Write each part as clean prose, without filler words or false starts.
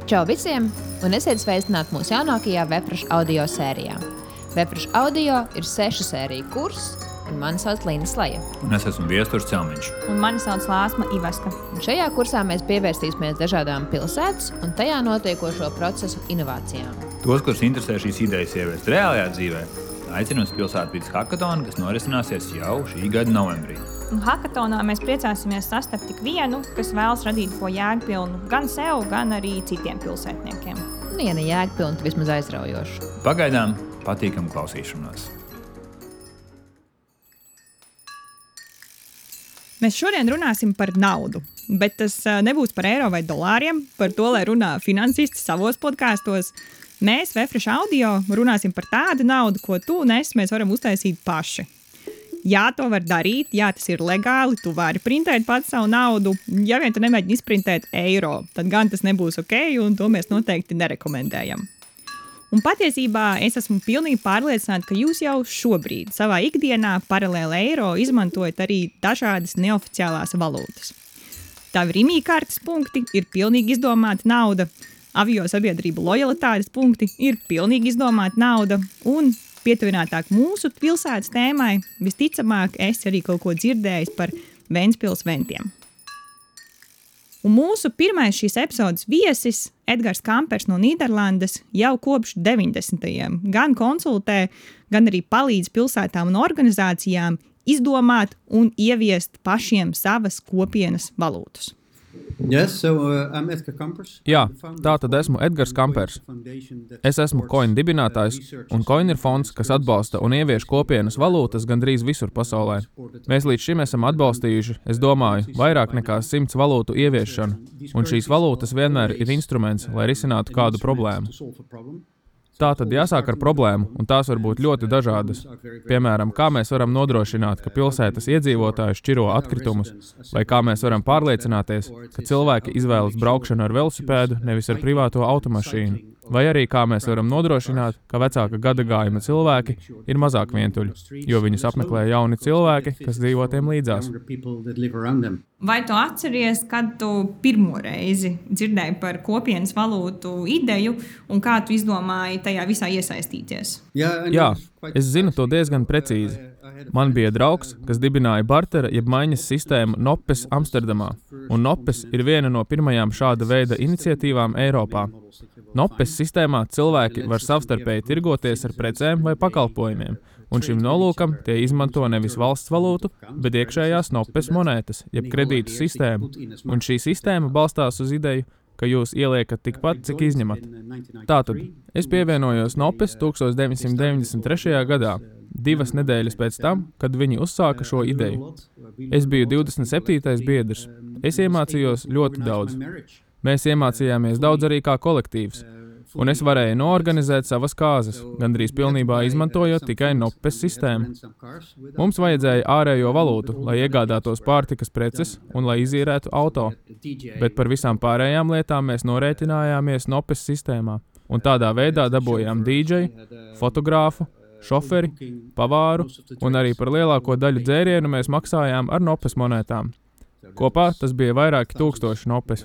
Čau visiem, un esiet sveicināti mūsu jaunākajā Vefresh audio sērijā. Vefresh audio ir 6 sēriju kurs, un mani sauc Līna Slaja. Un es esmu Viesturs Celmiņš. Un mani sauc Lāsma Ivaska. Un šajā kursā mēs pievērsīsimies dažādām pilsētas un tajā notiekošo procesu inovācijām. Tos, kurus interesē šīs idejas ieviest reālajā dzīvē, aicinu uz pilsētvides hakatonu, kas norisināsies jau šī gada novembrī. Un hakatonā mēs priecāsimies sastapt tik vienu, kas vēlas radīt ko jēgpilnu gan sev, gan arī citiem pilsētniekiem. Un ja ne jēgpilnu, vismaz aizraujošu. Pagaidām patīkam klausīšanos. Mēs šodien runāsim par naudu, bet tas nebūs par eiro vai dolāriem, par to, lai runā finansisti savos podkāstos. Mēs, Vefresh audio, runāsim par tādu naudu, ko tu un es mēs varam uztaisīt paši. Jā, to var darīt, jā, tas ir legāli, tu vari printēt pats savu naudu. Ja vien tu nemēģini izprintēt eiro, tad gan tas nebūs ok, un to mēs noteikti nerekomendējam. Un patiesībā es esmu pilnīgi pārliecināta, ka jūs jau šobrīd savā ikdienā paralēli eiro izmantojat arī dažādas neoficiālās valūtas. Tavi Rimi-kartes punkti ir pilnīgi izdomāta nauda, avio sabiedrību lojalitātes punkti ir pilnīgi izdomāta nauda, un pietuvinātāk mūsu pilsētas tēmai, visticamāk, es arī kaut ko dzirdējis par Ventspils ventiem. Un mūsu pirmais šīs epizodes viesis, Edgars Kampers no Nīderlandes, jau kopš 90. gan konsultē, gan arī palīdz pilsētām un organizācijām izdomāt un ieviest pašiem savas kopienas valūtas. Yes, so, I'm Edgar Kampers. Jā, tā tad esmu Edgars Kampers. Es esmu Coin dibinātājs, un Coin ir fonds, kas atbalsta un ievieš kopienas valūtas gandrīz visur pasaulē. Mēs līdz šim esam atbalstījuši, es domāju, vairāk nekā 100 valūtu ieviešanu, un šīs valūtas vienmēr ir instruments, lai risinātu kādu problēmu. Tā tad jāsāk ar problēmu, un tās var būt ļoti dažādas. Piemēram, kā mēs varam nodrošināt, ka pilsētas iedzīvotāji šķiro atkritumus, vai kā mēs varam pārliecināties, ka cilvēki izvēlas braukšanu ar velosipēdu, nevis ar privāto automašīnu. Vai arī kā mēs varam nodrošināt, ka vecāka gadagājuma cilvēki ir mazāk vientuļi, jo viņus apmeklē jauni cilvēki, kas dzīvo tiem līdzās. Vai tu atceries, kad tu pirmo reizi dzirdēji par kopienas valūtu ideju un kā tu izdomāji tajā visā iesaistīties? Jā, es zinu to diezgan precīzi. Man bija draugs, kas dibināja bartera jeb maiņas sistēmu Noppes Amsterdamā, un Noppes ir viena no pirmajām šāda veida iniciatīvām Eiropā. Noppes sistēmā cilvēki var savstarpēji tirgoties ar precēm vai pakalpojumiem, un šim nolūkam tie izmanto nevis valsts valūtu, bet iekšējās Noppes monētas, jeb kredītu sistēmu, un šī sistēma balstās uz ideju, ka jūs ieliekat tikpat, cik izņemat. Tātad, es pievienojos Noppes 1993. gadā, 2 nedēļas pēc tam, kad viņi uzsāka šo ideju. Es biju 27. biedrs. Es iemācījos ļoti daudz. Mēs iemācījāmies daudz arī kā kolektīvs, un es varēju noorganizēt savas kāzas, gandrīz pilnībā izmantojot tikai Noppes sistēmu. Mums vajadzēja ārējo valūtu, lai iegādātos pārtikas preces un lai izīrētu auto, bet par visām pārējām lietām mēs norēķinājāmies Noppes sistēmā, un tādā veidā dabūjām DJ, fotogrāfu, šoferi, pavāru, un arī par lielāko daļu dzērienu mēs maksājām ar Noppes monētām. Kopā tas bija vairāki tūkstoši Noppes.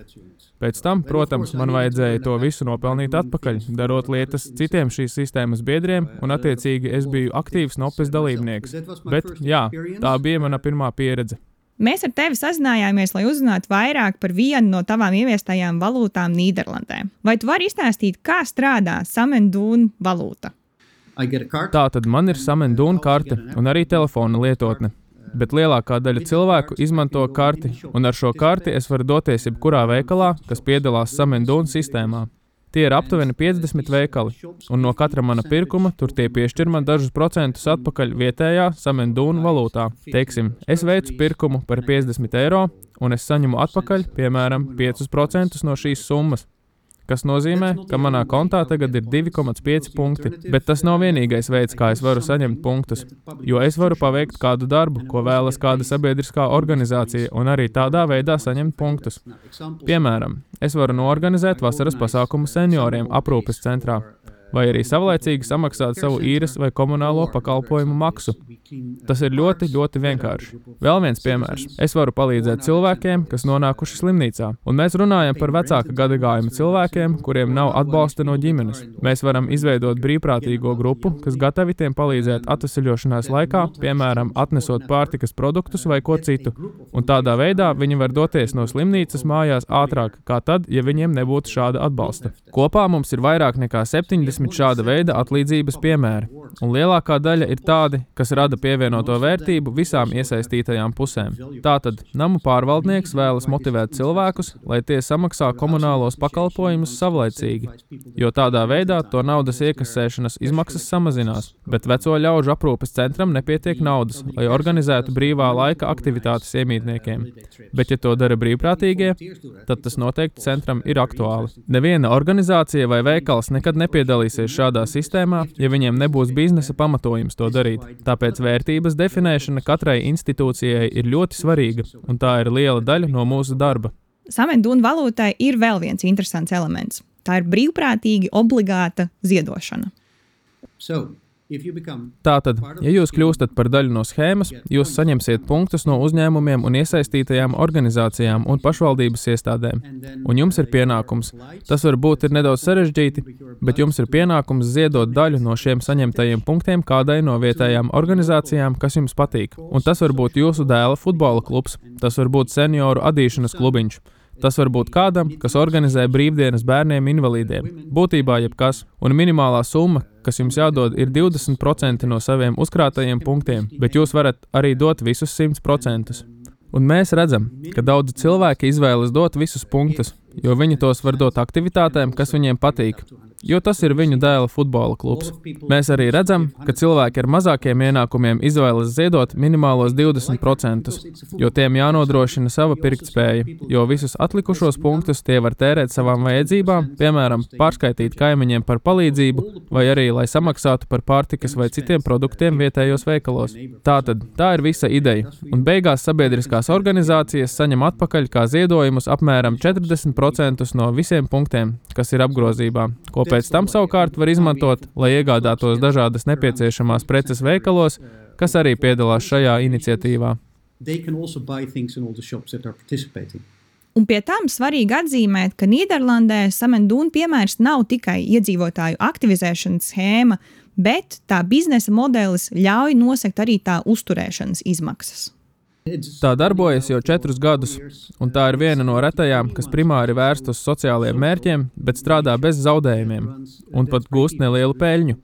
Pēc tam, protams, man vajadzēja to visu nopelnīt atpakaļ, darot lietas citiem šīs sistēmas biedriem, un attiecīgi es biju aktīvs Noppes dalībnieks. Bet, jā, tā bija mana pirmā pieredze. Mēs ar tevi sazinājāmies, lai uzzinātu vairāk par vienu no tavām ieviestajām valūtām Nīderlandē. Vai tu vari izstāstīt, kā strādā Samendūna valūta? Tā tad man ir Samendūna karte un arī telefona lietotne. Bet lielākā daļa cilvēku izmanto karti, un ar šo karti es varu doties jebkurā veikalā, kas piedalās Samendūna sistēmā. Tie ir aptuveni 50 veikali, un no katra mana pirkuma tur tie piešķir man dažus procentus atpakaļ vietējā Samendūna valūtā. Teiksim, es veicu pirkumu par 50 eiro, un es saņemu atpakaļ, piemēram, 5% no šīs summas, kas nozīmē, ka manā kontā tagad ir 2,5 punkti, bet tas nav vienīgais veids, kā es varu saņemt punktus, jo es varu paveikt kādu darbu, ko vēlas kāda sabiedriskā organizācija, un arī tādā veidā saņemt punktus. Piemēram, es varu noorganizēt vasaras pasākumu senioriem aprūpes centrā, vai arī savlaicīgi samaksāt savu īres vai komunālo pakalpojumu maksu. Tas ir ļoti, ļoti vienkārši. Vēl viens piemērs. Es varu palīdzēt cilvēkiem, kas nonākuši slimnīcā. Un mēs runājam par vecāka gadagājuma cilvēkiem, kuriem nav atbalsta no ģimenes. Mēs varam izveidot brīvprātīgo grupu, kas gatavi tiem palīdzēt atvesaļošanās laikā, piemēram, atnesot pārtikas produktus vai ko citu. Un tādā veidā viņi var doties no slimnīcas mājās ātrāk, kā tad, ja viņiem nebūtu šāda atbalsta. Kopā mums ir vairāk nekā 70 šāda veida atlīdzības piemēri. Un lielākā daļa ir tādi, kas rada pievienoto vērtību visām iesaistītajām pusēm. Tātad namu pārvaldnieks vēlas motivēt cilvēkus, lai tie samaksā komunālos pakalpojumus savlaicīgi, jo tādā veidā to naudas iekasēšanas izmaksas samazinās, bet veco ļaužu aprūpes centram nepietiek naudas, lai organizētu brīvā laika aktivitātes iemītniekiem. Bet ja to dara brīvprātīgie, tad tas noteikti centram ir aktuāli. Neviena organizācija vai veikals nekad nepiedalīsies šādā sistēmā, ja viņiem nebūs biznesa pamatojums to darīt. Tāpēc vērtības definēšana katrai institūcijai ir ļoti svarīga, un tā ir liela daļa no mūsu darba. Sam and Dune valūtai ir vēl viens interesants elements. Tā ir brīvprātīgi obligāta ziedošana. Tātad, ja jūs kļūstat par daļu no schēmas, jūs saņemsiet punktus no uzņēmumiem un iesaistītajām organizācijām un pašvaldības iestādēm. Un jums ir pienākums. Tas varbūt ir nedaudz sarežģīti, bet jums ir pienākums ziedot daļu no šiem saņemtajiem punktiem kādai no vietējām organizācijām, kas jums patīk. Un tas var būt jūsu dēla futbola klubs, tas var būt senioru adīšanas klubiņš. Tas var būt kādam, kas organizē brīvdienas bērniem invalīdiem. Būtībā jebkas. Un minimālā summa, kas jums jādod, ir 20% no saviem uzkrātajiem punktiem, bet jūs varat arī dot visus 100%. Un mēs redzam, ka daudzi cilvēki izvēlas dot visus punktus, jo viņi tos var dot aktivitātēm, kas viņiem patīk. Jo tas ir viņu dēla futbola klubs. Mēs arī redzam, ka cilvēki ar mazākiem ienākumiem izvēlas ziedot minimālos 20%, jo tiem jānodrošina sava pirktspēja, jo visus atlikušos punktus tie var tērēt savām vajadzībām, piemēram, pārskaitīt kaimiņiem par palīdzību, vai arī, lai samaksātu par pārtikas vai citiem produktiem vietējos veikalos. Tātad, tā ir visa ideja, un beigās sabiedriskās organizācijas saņem atpakaļ kā ziedojumus apmēram 40% no visiem punktiem, kas ir apgrozībā, ko pēc tam savukārt var izmantot, lai iegādātos dažādas nepieciešamās preces veikalos, kas arī piedalās šajā iniciatīvā. Un pie tam svarīgi atzīmēt, ka Nīderlandē Sam and Dune piemērs nav tikai iedzīvotāju aktivizēšanas schēma, bet tā biznesa modelis ļauj nosegt arī tā uzturēšanas izmaksas. Tā darbojas jau 4 gadus, un tā ir viena no retajām, kas primāri vērst uz sociālajiem mērķiem, bet strādā bez zaudējumiem un pat gūst nelielu peļņu.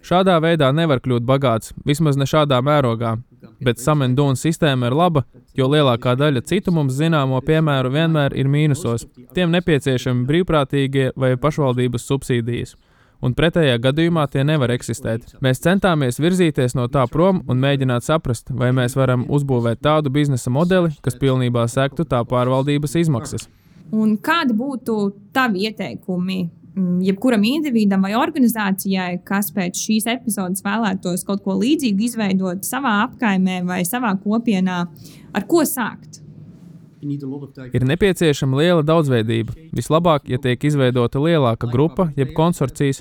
Šādā veidā nevar kļūt bagāts, vismaz ne šādā mērogā, bet Sam and Dune sistēma ir laba, jo lielākā daļa citu mums zināmo piemēru vienmēr ir mīnusos. Tiem nepieciešami brīvprātīgie vai pašvaldības subsīdijas. Un pretējā gadījumā tie nevar eksistēt. Mēs centāmies virzīties no tā prom un mēģināt saprast, vai mēs varam uzbūvēt tādu biznesa modeli, kas pilnībā sektu tā pārvaldības izmaksas. Un kādi būtu tavi ieteikumi jebkuram individam vai organizācijai, kas pēc šīs epizodes vēlētos kaut ko līdzīgu izveidot savā apkaimē vai savā kopienā? Ar ko sākt? Ir nepieciešama liela daudzveidība. Vislabāk, ja tiek izveidota lielāka grupa, jeb konsorcijas,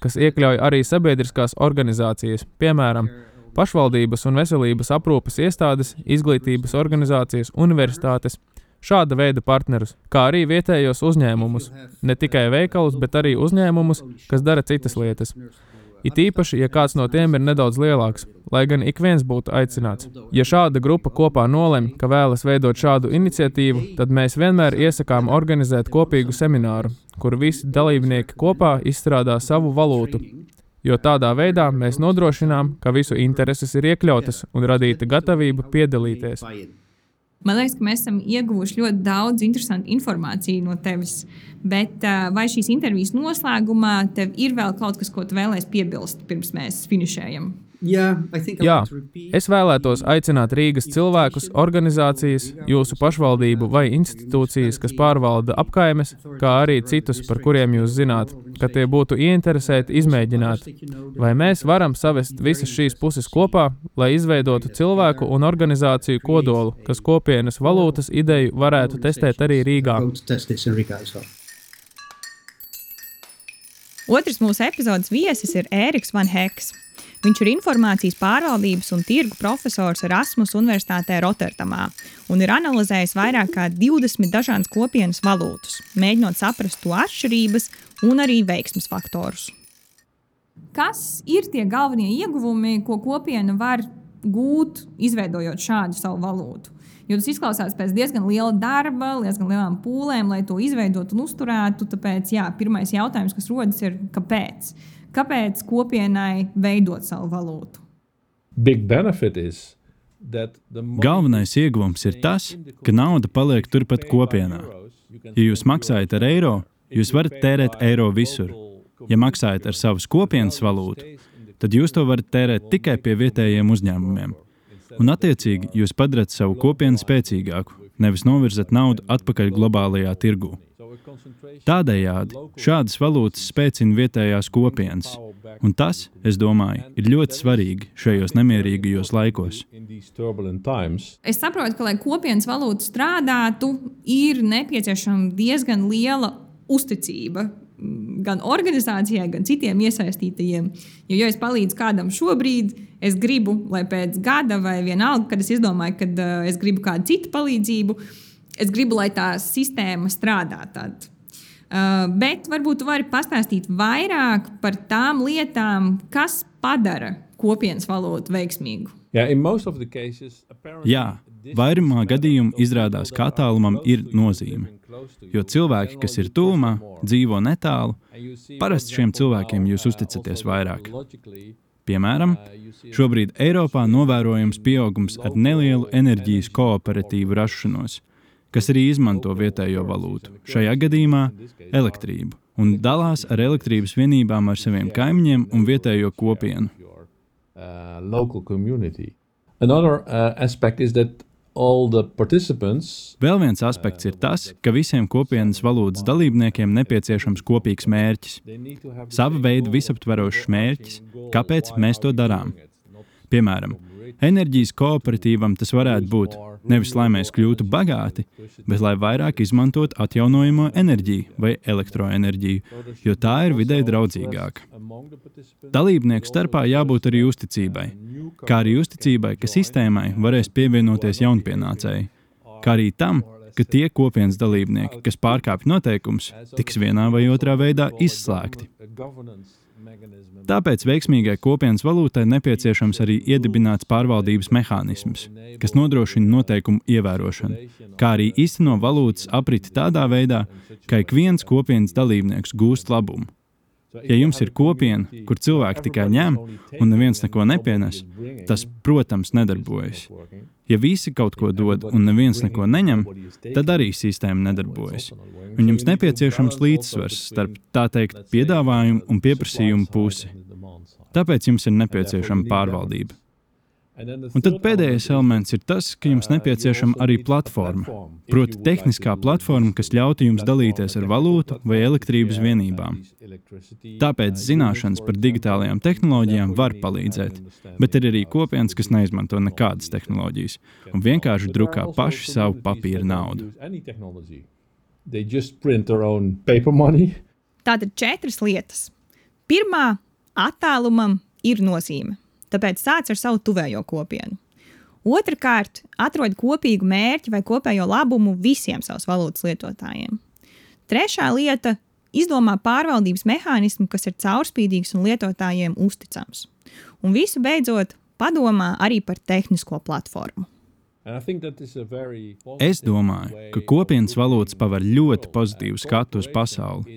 kas iekļauj arī sabiedriskās organizācijas, piemēram, pašvaldības un veselības aprūpes iestādes, izglītības organizācijas, universitātes, šāda veida partnerus, kā arī vietējos uzņēmumus, ne tikai veikalus, bet arī uzņēmumus, kas dara citas lietas. It īpaši, ja kāds no tiem ir nedaudz lielāks, lai gan ik viens būtu aicināts. Ja šāda grupa kopā nolemj, ka vēlas veidot šādu iniciatīvu, tad mēs vienmēr iesakām organizēt kopīgu semināru, kur visi dalībnieki kopā izstrādā savu valūtu, jo tādā veidā mēs nodrošinām, ka visu intereses ir iekļautas un radīta gatavība piedalīties. Man liekas, ka mēs esam ieguvuši ļoti daudz interesantu informāciju no tevis, bet vai šīs intervijas noslēgumā tev ir vēl kaut kas, ko tu vēlēsi piebilst, pirms mēs finišējam? Jā, es vēlētos aicināt Rīgas cilvēkus, organizācijas, jūsu pašvaldību vai institūcijas, kas pārvalda apkaimes, kā arī citus, par kuriem jūs zināt, ka tie būtu ieinteresēti izmēģināt. Vai mēs varam savest visas šīs puses kopā, lai izveidotu cilvēku un organizāciju kodolu, kas kopienas valūtas ideju varētu testēt arī Rīgā? Otrs mūsu epizodes viesis ir Ēriks Van Heks. Viņš ir informācijas pārvaldības un tirgu profesors Erasmus Universitātē Rotterdamā un ir analizējis vairāk kā 20 dažādas kopienas valūtas, mēģinot saprast to atšķirības un arī veiksmes faktorus. Kas ir tie galvenie ieguvumi, ko kopiena var gūt, izveidojot šādu savu valūtu? Jo tas izklausās pēc diezgan liela darba, diezgan lielām pūlēm, lai to izveidotu un uzturētu. Tāpēc, pirmais jautājums, kas rodas, ir kāpēc? Kāpēc kopienai veidot savu valūtu? Galvenais ieguvums ir tas, ka nauda paliek turpat kopienā. Ja jūs maksājat ar eiro, jūs varat tērēt eiro visur. Ja maksājat ar savas kopienas valūtu, tad jūs to varat tērēt tikai pie vietējiem uzņēmumiem. Un attiecīgi jūs padarat savu kopienu spēcīgāku, nevis novirzat naudu atpakaļ globālajā tirgū. Tādējādi šādas valūtas spēcina vietējās kopienas, un tas, es domāju, ir ļoti svarīgi šajos nemierīgajos laikos. Es saprotu, ka, lai kopienas valūta strādātu, ir nepieciešama diezgan liela uzticība gan organizācijai, gan citiem iesaistītajiem. Jo, ja es palīdzu kādam šobrīd, es gribu, lai pēc gada vai vienalga, kad es izdomāju, kad es gribu kādu citu palīdzību, es gribu, lai tā sistēma strādā tad. Bet varbūt tu vari pastāstīt vairāk par tām lietām, kas padara kopienas valūtu veiksmīgu. Jā, vairumā gadījumu izrādās, ka attālumam ir nozīme. Jo cilvēki, kas ir tuvumā, dzīvo netālu, parasti šiem cilvēkiem jūs uzticaties vairāk. Piemēram, šobrīd Eiropā novērojams pieaugums ar nelielu enerģijas kooperatīvu rašanos, kas arī izmanto vietējo valūtu, šajā gadījumā elektrību, un dalās ar elektrības vienībām ar saviem kaimiņiem un vietējo kopienu. Vēl viens aspekts ir tas, ka visiem kopienas valūtas dalībniekiem nepieciešams kopīgs mērķis. Sava veida visaptverošs mērķis, kāpēc mēs to darām. Piemēram, enerģijas kooperatīvam tas varētu būt nevis, lai mēs kļūtu bagāti, bet lai vairāk izmantot atjaunojamo enerģiju vai elektroenerģiju, jo tā ir videi draudzīgāka. Dalībnieku starpā jābūt arī uzticībai, kā arī uzticībai, ka sistēmai varēs pievienoties jaunpienācēji, kā arī tam, ka tie kopienas dalībnieki, kas pārkāpj noteikumus, tiks vienā vai otrā veidā izslēgti. Tāpēc veiksmīgai kopienas valūtai nepieciešams arī iedibināts pārvaldības mehānisms, kas nodrošina noteikumu ievērošanu, kā arī īsteno valūtas apriti tādā veidā, ka ik viens kopienas dalībnieks gūst labumu. Ja jums ir kopiena, kur cilvēki tikai ņem un neviens neko nepienes, tas, protams, nedarbojas. Ja visi kaut ko dod un neviens neko neņem, tad arī sistēma nedarbojas. Un jums nepieciešams līdzsvars starp, tā teikt, piedāvājumu un pieprasījumu pusi. Tāpēc jums ir nepieciešama pārvaldība. Un tad pēdējais elements ir tas, ka jums nepieciešama arī platforma, proti tehniskā platforma, kas ļautu jums dalīties ar valūtu vai elektrības vienībām. Tāpēc zināšanas par digitālajām tehnoloģijām var palīdzēt, bet ir arī kopienas, kas neizmanto nekādas tehnoloģijas un vienkārši drukā paši savu papīra naudu. Tātad 4 lietas. Pirmā, attālumam ir nozīme. Tāpēc sāc ar savu tuvējo kopienu. Otrakārt, atrod kopīgu mērķi vai kopējo labumu visiem savas valūtas lietotājiem. Trešā lieta, izdomā pārvaldības mehānismu, kas ir caurspīdīgs un lietotājiem uzticams. Un visu beidzot, padomā arī par tehnisko platformu. Es domāju, ka kopienas valūtas paver ļoti pozitīvu skatu uz pasauli.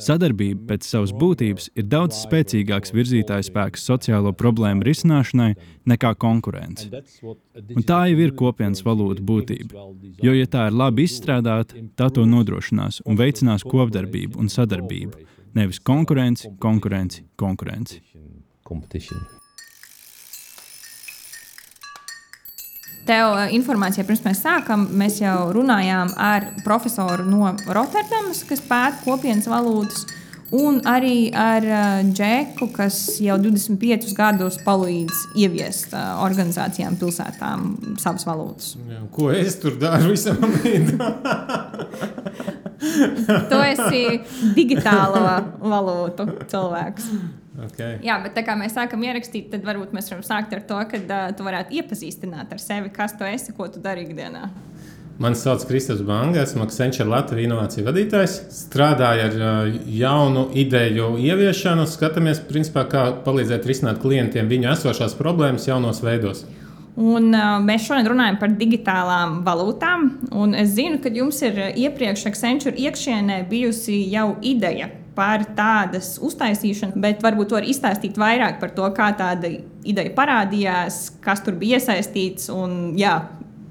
Sadarbība pēc savas būtības ir daudz spēcīgāks virzītājspēks sociālo problēmu risināšanai nekā konkurence. Un tā jau ir kopienas valūta būtība, jo, ja tā ir labi izstrādāta, tā to nodrošinās un veicinās kopdarbību un sadarbību, nevis konkurenci. Tev informācija, pirms mēs sākam, mēs jau runājām ar profesoru no Rotterdamas, kas pēta kopienas valūtas, un arī ar Džeku, kas jau 25 gadus palīdz ieviest organizācijām, pilsētām savas valūtas. Ko es tur daru visam brīdim? Tu esi digitālo valūtu cilvēks. Okay. Jā, bet tā kā mēs sākam ierakstīt, tad varbūt mēs varam sākt ar to, ka tu varētu iepazīstināt ar sevi, kas tu esi, ko tu dari ikdienā. Mani sauc Kristaps Banga, esmu Accenture Latvijas inovāciju vadītājs. Strādāju ar jaunu ideju ieviešanu, skatāmies, principā, kā palīdzēt risināt klientiem viņu esošās problēmas jaunos veidos. Un mēs šodien runājam par digitālām valūtām. Un es zinu, ka jums ir iepriekš Accenture iekšienē bijusi jau ideja par tādas uztaisīšanu, bet varbūt var izstāstīt vairāk par to, kā tāda ideja parādījās, kas tur bija iesaistīts un jā,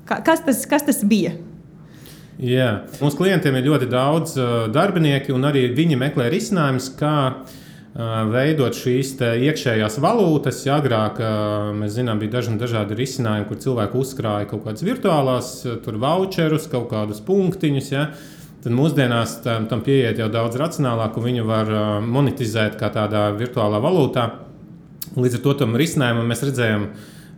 kas tas bija? Jā. Mūsu klientiem ir ļoti daudz darbinieki, un arī viņi meklē risinājumus, kā veidot šīs iekšējās valūtas. Agrāk mēs zinām, bija dažādi risinājumi, kur cilvēki uzkrāja kaut kādas virtuālās voucherus, kaut kādus punktiņus. Ja? Tad mūsdienās tam pieiet jau daudz racionālāk, un viņu var monetizēt kā tādā virtuālā valūtā. Līdz ar to tam risinājumam mēs redzējām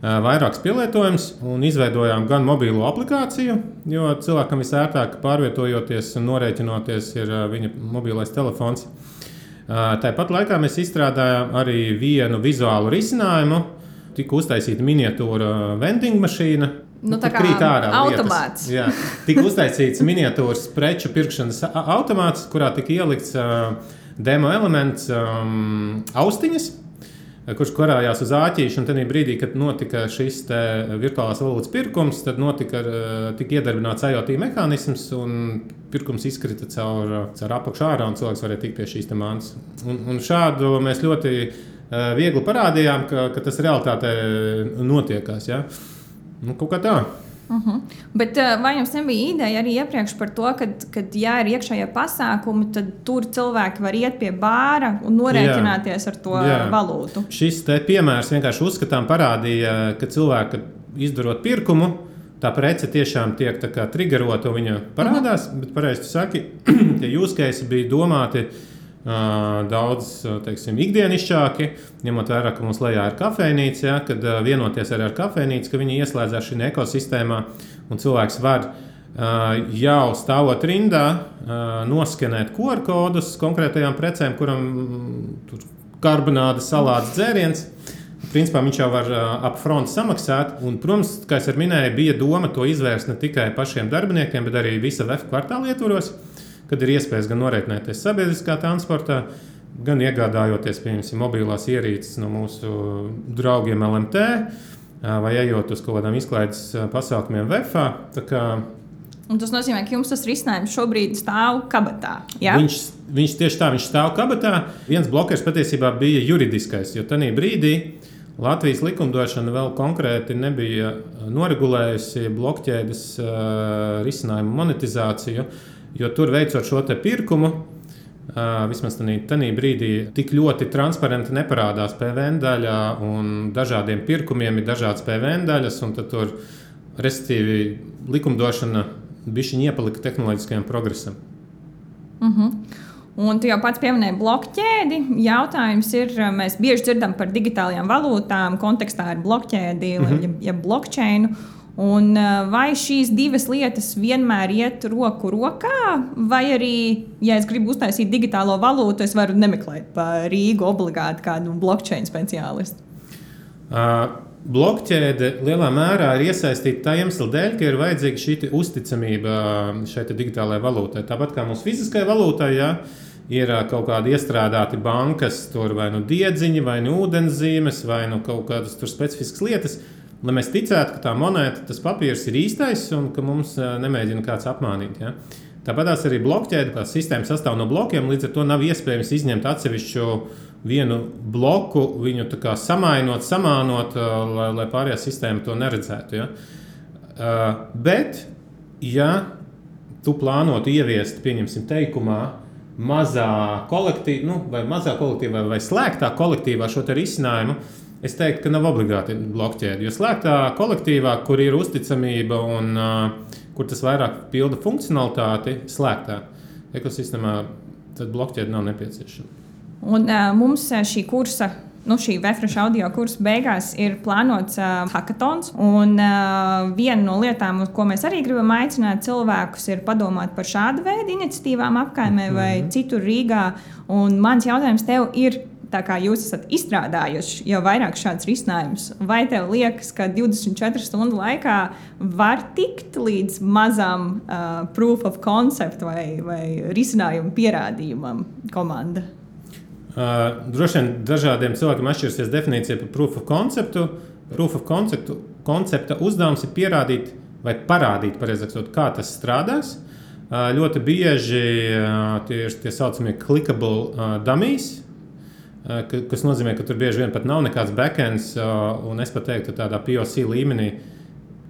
vairākus pielietojumus un izveidojām gan mobilo aplikāciju, jo cilvēkam visērtāk pārvietojoties un norēķinoties ir viņa mobilais telefons. Tāpat laikā mēs izstrādājām arī vienu vizuālu risinājumu. Tika uztaisīta miniatūra vending mašīna. Tā kā automāts. Jā, tika uztaisīts miniatūras preču pirkšanas automāts, kurā tika ielikts demo elements austiņas, kurš karājās uz āķīšu. Un tajā brīdī, kad notika šis virtuālās valūtas pirkums, tad tika iedarbināts IoT mehānisms un pirkums izkrita caur apakšu ārā, un cilvēks varēja tikt pie šīs mantas. Un šādu mēs ļoti viegli parādījām, ka tas realitātē notiekās. Ja? Kaut kā tā. Bet vai jums nebija ideja arī iepriekš par to, ka ja ir iekšējie pasākumi, tad tur cilvēki var iet pie bāra un norēķināties ar to valūtu? Šis piemērs vienkārši uzskatām parādīja, ka cilvēki izdarot pirkumu, tā prece tiešām tiek tā kā triggerota un viņa parādās, bet pareizi tu saki, tie use case bija domāti daudz, teiksim, ikdienišķāki, ņemot vērā, ka mums lejā ir kafejnīca, ja, kad vienoties ar kafejnīcu, ka viņi ieslēdzās šī ekosistēmā un cilvēks var jau stāvot rindā noskenēt QR kodus konkrētajām precēm, kuram tur karbonāde, salāts, dzēriens. Principā viņš jau var upfront samaksāt. Un, protams, kā es minēju, bija doma to izvērst ne tikai pašiem darbiniekiem, bet arī visa VF kvartāla ietvaros, kad ir iespējas gan norēķināties sabiedriskā transportā, gan iegādājoties, piemēram, mobilās ierīces no mūsu draugiem LMT, vai ejot uz kaut kādām izklaides pasākumiem VF-ā. Un tas nozīmē, ka jums tas risinājums šobrīd stāv kabatā. Ja? Viņš tieši tā, viņš stāv kabatā. Viens blokers patiesībā bija juridiskais, jo tajā brīdī Latvijas likumdošana vēl konkrēti nebija noregulējusi blokķēdes risinājumu monetizāciju, jo tur veicot šo pirkumu, vismaz tajā brīdī tik ļoti transparenti neparādās PVN daļā, un dažādiem pirkumiem ir dažādas PVN daļas, un tad tur, respektīvi, likumdošana bišķiņ iepalika tehnoloģiskajam progresam. Un tu jau pats pieminēji blokķēdi. Jautājums ir, mēs bieži dzirdam par digitālajām valūtām kontekstā ar blokķēdi, ja blockchainu. Un vai šīs divas lietas vienmēr iet roku rokā, vai arī, ja es gribu uztaisīt digitālo valūtu, es varu nemeklēt pa Rīgu obligāti kādu blockchain speciālistu? Blokķēde lielā mērā ir iesaistīta tā iemesla dēļ, ka ir vajadzīga šī uzticamība šai digitālajai valūtai. Tāpat kā mūsu fiziskajai valūtai, ja, ir kaut kādi iestrādāti bankas, tur vai nu diedziņi, vai nu ūdenszīmes, vai nu kaut kādas tur specifiskas lietas, lai mēs ticētu, ka tā monēta, tas papīrs ir īstais un ka mums nemēģina kāds apmānīt. Ja. Tāpatās arī blokķēde, kā sistēma sastāv no blokiem, līdz ar to nav iespējams izņemt atsevišķu vienu bloku, viņu tā kā samainot, samānot, lai pārējā sistēma to neredzētu. Ja. Bet, ja tu plānotu ieviest, pieņemsim teikumā, mazā kolektīvā vai slēgtā kolektīvā šo te risinājumu, es teiktu, ka nav obligāti blokķēde. Jo slēgtā kolektīvā, kur ir uzticamība un kur tas vairāk pilda funkcionalitāti, slēgtā ekosistēmā tad blokķēde nav nepieciešama. Un mums šī kursa, šī Vefresh audio kursa beigās ir plānots hackatons. Un viena no lietām, ko mēs arī gribam aicināt cilvēkus, ir padomāt par šādu veidu iniciatīvām apkaimē vai citur Rīgā. Un mans jautājums tev ir, tā kā jūs esat izstrādājuši jau vairāk šādus risinājumus, vai tev liekas, ka 24 stundu laikā var tikt līdz mazam proof of concept vai risinājumu pierādījumam komanda? Droši vien dažādiem cilvēkiem atšķirsies definīcija par proof of conceptu. Proof of koncepta uzdevums ir pierādīt vai parādīt, pareizāk sakot, kā tas strādās. Ļoti bieži tie ir tie saucamie clickable dummies, kas nozīmē, ka tur bieži vien pat nav nekāds backends, un es pat teiktu, tādā POC līmenī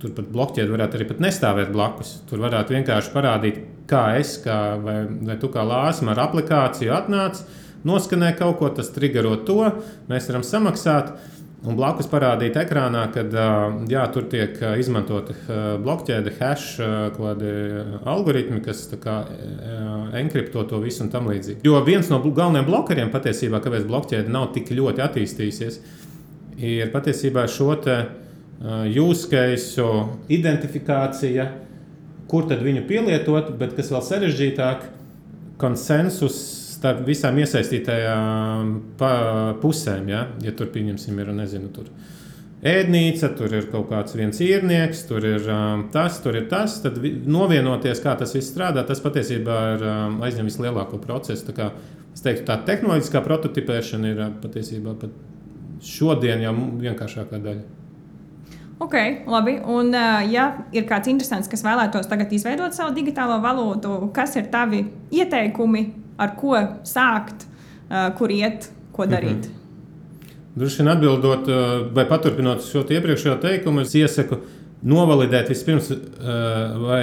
tur pat blokķēde varētu arī pat nestāvēt blakus. Tur varētu vienkārši parādīt, kā vai tu kā lāsma ar aplikāciju atnāc, noskanē kaut ko, tas triggerot to, mēs varam samaksāt, un blakus parādīt ekrānā, kad tur tiek izmantoti blokķēde, hash, kādi algoritmi, kas tā kā enkripto to visu un tam līdzīgi. Jo viens no galvenajiem blokeriem patiesībā, kāpēc blokķēde nav tik ļoti attīstījusies, ir patiesībā šo te use case identifikācija, kur tad viņu pielietot, bet kas vēl sarežģītāk, konsensus starp visām iesaistītajām pusēm. Ja tur, pieņemsim, ir, nezinu, tur ēdnīca, tur ir kaut kāds viens īrnieks, tur ir tas, tad novienoties, kā tas viss strādā, tas patiesībā ir aizņem vislielāko procesu. Tā kā, es teiktu, tā tehnoloģiskā prototipēšana ir patiesībā pat šodien jau vienkāršākā daļa. Ok, labi. Un, ja ir kāds interesants, kas vēlētos tagad izveidot savu digitālo valūtu, kas ir tavi ieteikumi, ar ko sākt, kur iet, ko darīt? Droši vien atbildot vai paturpinot šo iepriekšējo teikumu, es iesaku novalidēt vispirms, vai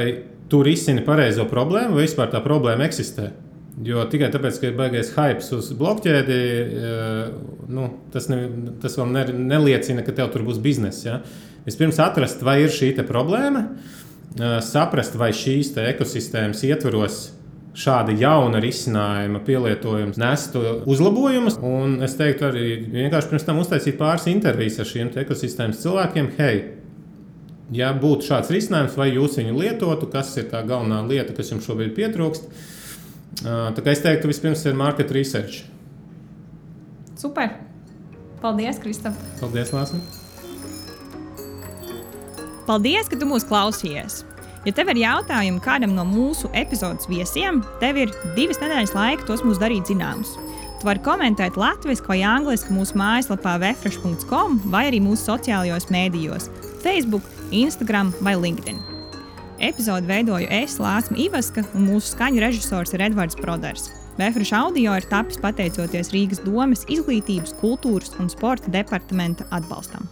tu risini pareizo problēmu, vai vispār tā problēma eksistē. Jo tikai tāpēc, ka ir baigais hypes uz blokķēdi, tas vēl neliecina, ka tev tur būs bizness. Ja? Vispirms atrast, vai ir šī problēma, saprast, vai šīs ekosistēmas ietvaros šāda jauna risinājuma pielietojums nestu uzlabojumus. Un es teiktu arī vienkārši pirms tam uztaisīt pāris intervijas ar šiem ekosistēmas cilvēkiem. Hei, ja būtu šāds risinājums, vai jūs viņu lietotu, kas ir tā galvenā lieta, kas jums šobrīd pietrūkst. Tā kā es teiktu, vispirms ir market research. Super! Paldies, Kristap! Paldies, Lāsma! Paldies, ka tu mūs klausījies! Ja tev ir jautājumi kādam no mūsu epizodes viesiem, tev ir 2 nedēļas laika tos mums darīt zināmus. Tu vari komentēt latviski vai angliski mūsu mājaslapā vefresh.com vai arī mūsu sociālajos mēdījos – Facebook, Instagram vai LinkedIn. Epizodi veidoju es, Lāsma Ivaska, un mūsu skaņu režisors ir Edvards Broders. Vefresh audio ir tapis pateicoties Rīgas domes izglītības, kultūras un sporta departamenta atbalstam.